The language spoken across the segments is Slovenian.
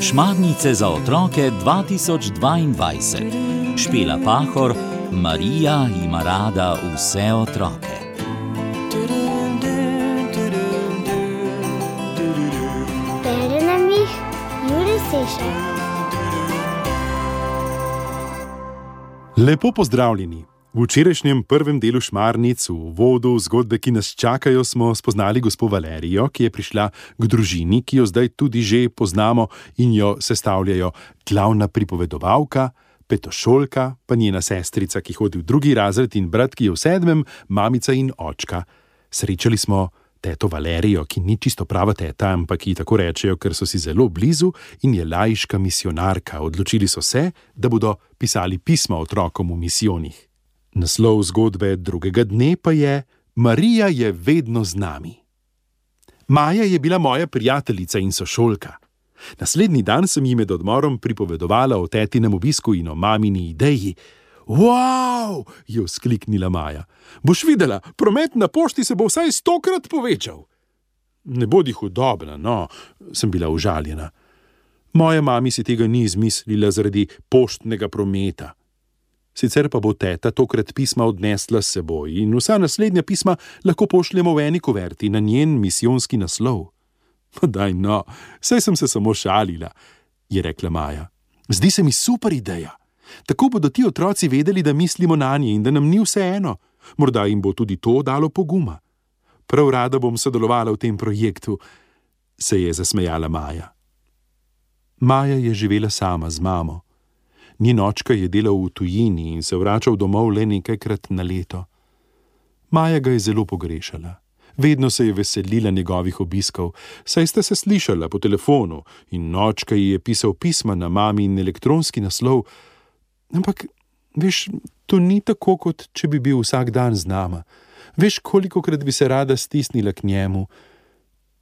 Šmarnice za otroke 2022. Špela Pahor, Marija ima rada vse otroke. Bere nam jih Jure Sešar. Lepo pozdravljeni. V včerajšnjem prvem delu Šmarnic, v uvodu zgodbe, ki nas čakajo, smo spoznali gospo Valerijo, ki je prišla k družini, ki jo zdaj tudi že poznamo in jo sestavljajo glavna pripovedovalka, petošolka, pa njena sestrica, ki hodi v 2. razred, in brat, ki je v 7., mamica in očka. Srečali smo teto Valerijo, ki ni čisto prava teta, ampak ji tako rečejo, ker so si zelo blizu in je laiška misionarka. Odločili so se, da bodo pisali pisma otrokom v misijonih. Naslov zgodbe drugega dne pa je Marija je vedno z nami. Maja je bila moja prijateljica in sošolka. Naslednji dan sem ji med odmorom pripovedovala o tetinem obisku in o mamini ideji. Wow! Je vzkliknila Maja. Boš videla, promet na pošti se bo vsaj 100-krat povečal. Ne bodi hudobna, no, sem bila užaljena. Moja mami si tega ni izmislila zaradi poštnega prometa. Sicer pa bo teta tokrat pisma odnesla s seboj in vsa naslednja pisma lahko pošljemo v eni kuverti na njen misijonski naslov. Daj no, saj sem se samo šalila, je rekla Maja. Zdi se mi super ideja. Tako bodo ti otroci vedeli, da mislimo nanje in da nam ni vseeno. Morda jim bo tudi to dalo poguma. Prav rada bom sodelovala v tem projektu, se je zasmejala Maja. Maja je živela sama z mamo. Njen očka je delal v tujini in se vračal domov le nekajkrat na leto. Maja ga je zelo pogrešala. Vedno se je veselila njegovih obiskov, saj sta se slišala po telefonu in očka ji je pisal pisma na mamin elektronski naslov. Ampak, veš, to ni tako, kot če bi bil vsak dan z nama. Veš, kolikokrat bi se rada stisnila k njemu.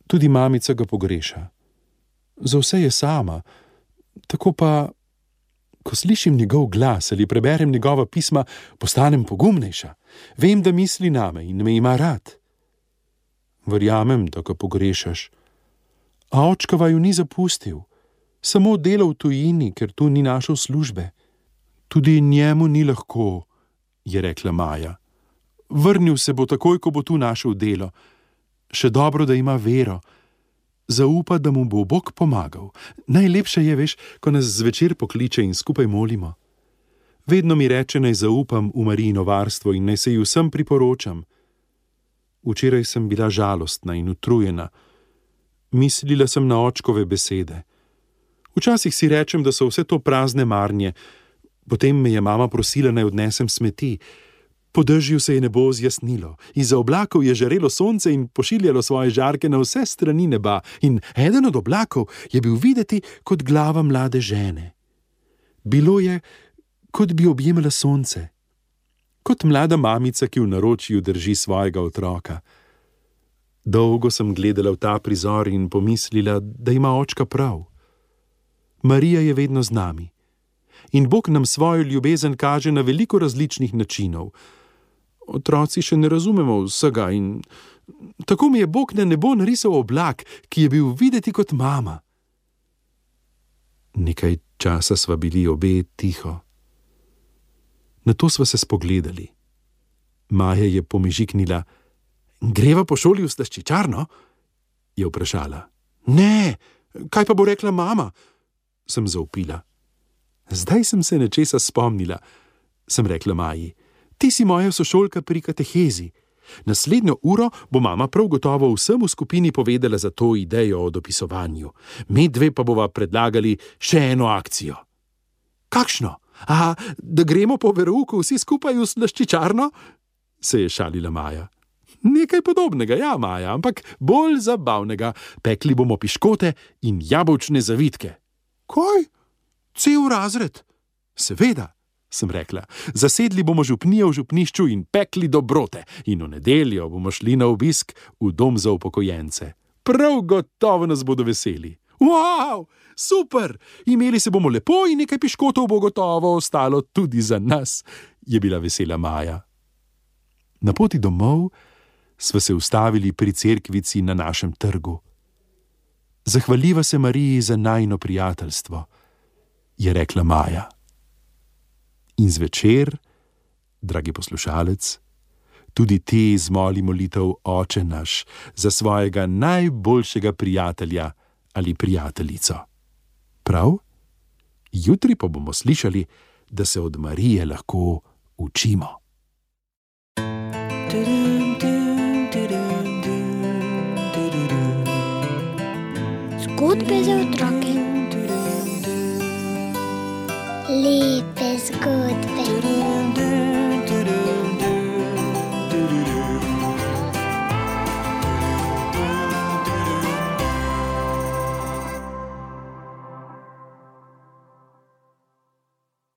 Tudi mamica ga pogreša. Za vse je sama. Tako pa, ko slišim njegov glas ali preberem njegova pisma, postanem pogumnejša. Vem, da misli name in me ima rad. Verjamem, da ga pogrešaš. A očka vaju ni zapustil. Samo delal v tujini, ker tu ni našel službe. Tudi njemu ni lahko, je rekla Maja. Vrnil se bo takoj, ko bo tu našel delo. Še dobro, da ima vero. Zaupa, da mu bo Bog pomagal. Najlepše je, veš, ko nas zvečer pokliče in skupaj molimo. Vedno mi reče, naj zaupam v Marijino varstvo in naj se ji vsem priporočam. Včeraj sem bila žalostna in utrujena. Mislila sem na očkove besede. Včasih si rečem, da so vse to prazne marnje. Potem me je mama prosila, naj odnesem smeti. Po dežju se je nebo zjasnilo. Izza oblakov je žarelo sonce in pošiljalo svoje žarke na vse strani neba. In eden od oblakov je bil videti kot glava mlade žene. Bilo je, kot bi objemala sonce. Kot mlada mamica, ki v naročju drži svojega otroka. Dolgo sem gledala v ta prizor in pomislila, da ima očka prav. Marija je vedno z nami. In Bog nam svojo ljubezen kaže na veliko različnih načinov. Otroci še ne razumemo vsega in tako mi je Bog na nebo narisal oblak, ki je bil videti kot mama. Nekaj časa sva bili obe tiho. Nato sva se spogledali. Maja je pomežiknila. Greva po šoli v slaščičarno? Je vprašala. Ne, kaj pa bo rekla mama? Sem zavpila. Zdaj sem se nečesa spomnila, sem rekla Maji. Ti si moja sošolka pri katehezi. Naslednjo uro bo mama prav gotovo vsem v skupini povedala za to idejo o dopisovanju. Mi dve pa bova predlagali še eno akcijo. Kakšno? A, da gremo po verouku vsi skupaj v slaščičarno? Se je šalila Maja. Nekaj podobnega, ja, Maja, ampak bolj zabavnega. Pekli bomo piškote in jabolčne zavitke. Kaj? Cel razred? Seveda, sem rekla. Zasedli bomo župnijo v župnišču in pekli dobrote in v nedeljo bomo šli na obisk v dom za upokojence. Prav gotovo nas bodo veseli. Wow, super! Imeli se bomo lepo in nekaj piškotov bo gotovo ostalo tudi za nas, je bila vesela Maja. Na poti domov sva se ustavili pri cerkvici na našem trgu. Zahvaljiva se Mariji za najino prijateljstvo, je rekla Maja. In zvečer, dragi poslušalec, tudi ti zmoli molitev Oče naš za svojega najboljšega prijatelja ali prijateljico. Prav? Jutri pa bomo slišali, da se od Marije lahko učimo. Zgodbe za otroke.